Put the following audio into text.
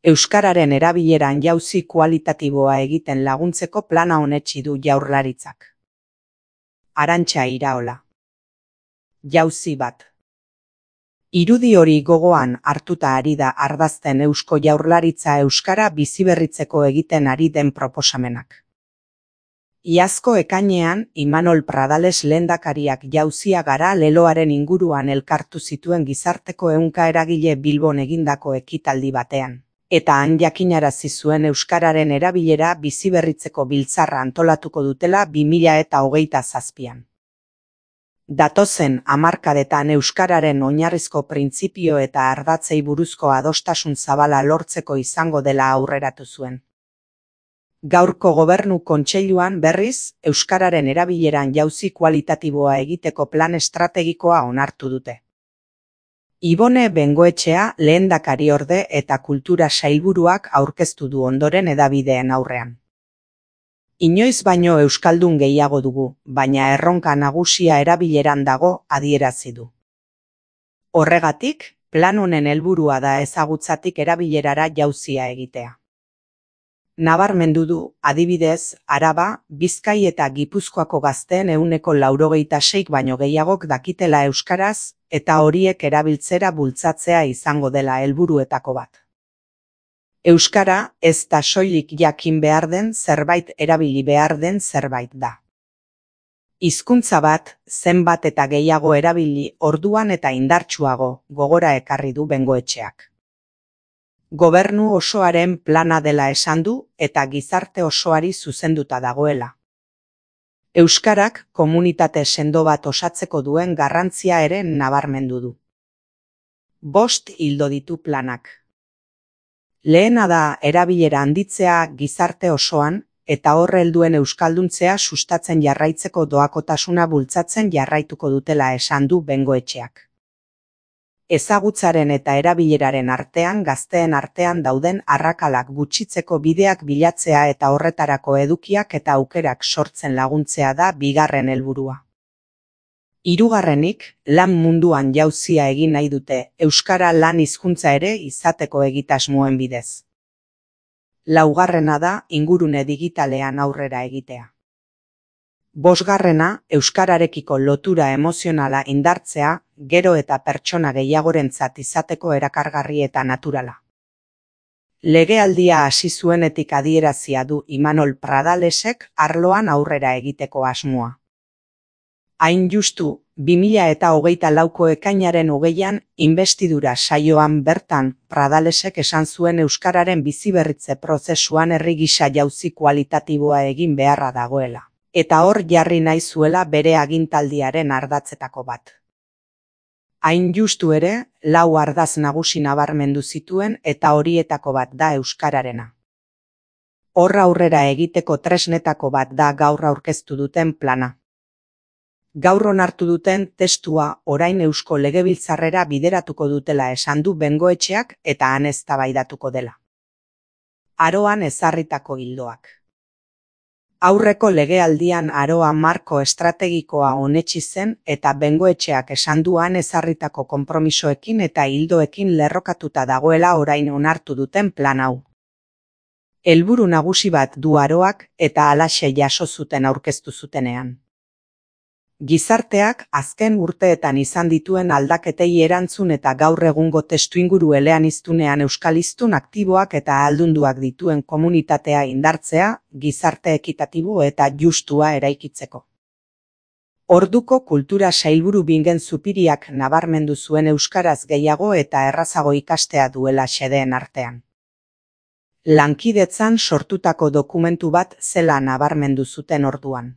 Euskararen erabileran jauzi kualitatiboa egiten laguntzeko plana onetsi du Jaurlaritzak. Arantxa Iraola. Jauzi bat. Irudi hori gogoan hartuta ari da ardazten Eusko Jaurlaritza euskara biziberritzeko egiten ari den proposamenak. Iazko ekainean, Imanol Pradales lehendakariak Jauzia gara leloaren inguruan elkartu zituen gizarteko ehunka eragile Bilbon egindako ekitaldi batean, eta han jakinarazi zuen euskararen erabilera biziberritzeko biltzarra antolatuko dutela 2027an. Datozen hamarkadetan euskararen oinarrizko printzipio eta ardatzei buruzko adostasun zabala lortzeko izango dela aurreratu zuen. Gaurko Gobernu Kontseiluan berriz, euskararen erabileran jauzi kualitatiboa egiteko plan estrategikoa onartu dute. Ibone Bengoetxea lehendakariorde eta kultura sailburuak aurkeztu du ondoren hedabideen aurrean. Inoiz baino euskaldun gehiago dugu, baina erronka nagusia erabileran dago, adierazi du. Horregatik, plan honen helburua da ezagutzatik erabilerara jauzia egitea. Nabarmendu du, adibidez, Araba, Bizkai eta Gipuzkoako gazteen 96% baino gehiagok dakitela euskaraz, eta horiek erabiltzera bultzatzea izango dela helburuetako bat. Euskara ez da soilik jakin behar den zerbait, erabili behar den zerbait da. Hizkuntza bat, zenbat eta gehiago erabili orduan eta indartsuago, gogora ekarri du Bengoetxeak. Gobernu osoaren plana dela esan du eta gizarte osoari zuzenduta dagoela. Euskarak komunitate sendo bat osatzeko duen garrantzia ere nabarmendu du. 5 ildo ditu planak. Lehena da erabilera handitzea gizarte osoan eta hor helduen euskalduntzea sustatzen jarraitzeko doakotasuna bultzatzen jarraituko dutela esan du Bengoetxeak. Ezagutzaren eta erabileraren artean gazteen artean dauden arrakalak gutxitzeko bideak bilatzea eta horretarako edukiak eta aukerak sortzen laguntzea da bigarren helburua. Hirugarrenik, lan munduan jauzia egin nahi dute, euskara lan hizkuntza ere izateko egitasmoen bidez. Laugarrena da, ingurune digitalean aurrera egitea. 5. Euskararekiko lotura emozionala indartzea, gero eta pertsona gehiagorentzat izateko erakargarri eta naturala. Legealdia hasi zuenetik adierazia du Imanol Pradalesek arloan aurrera egiteko asmoa. Hain justu, 2024ko ekainaren 20an, inbestidura saioan bertan, Pradalesek esan zuen euskararen biziberritze prozesuan herri gisa jauzi kualitatiboa egin beharra dagoela. Eta hor jarri nahi zuela bere agintaldiaren ardatzetako bat. Hain justu ere, 4 ardatz nagusi nabarmendu zituen eta horietako bat da euskararena. Hor aurrera egiteko tresnetako bat da gaur aurkeztu duten plana. Gaur onartu duten testua orain Eusko Legebiltzarrera bideratuko dutela esan du Bengoetxeak eta han eztabaidatuko dela. Aroan ezarritako ildoak. Aurreko legealdian aroa marko estrategikoa onetsi zen eta Bengoetxeak esan duan ezarritako konpromisoekin eta ildoekin lerrokatuta dagoela orain onartu duten plan hau. Helburu nagusi bat du aroak eta halaxe jaso zuten aurkeztu zutenean. Gizarteak azken urteetan izan dituen aldaketei erantzun eta gaur egungo testuinguru eleaniztunean euskaliztun aktiboak eta ahaldunduak dituen komunitatea indartzea, gizarte ekitatibo eta justua eraikitzeko. Orduko kultura sailburu Bingen Zupiriak nabarmendu zuen euskaraz gehiago eta errazago ikastea duela xedeen artean. Lankidetzan sortutako dokumentu bat zela nabarmendu zuten orduan.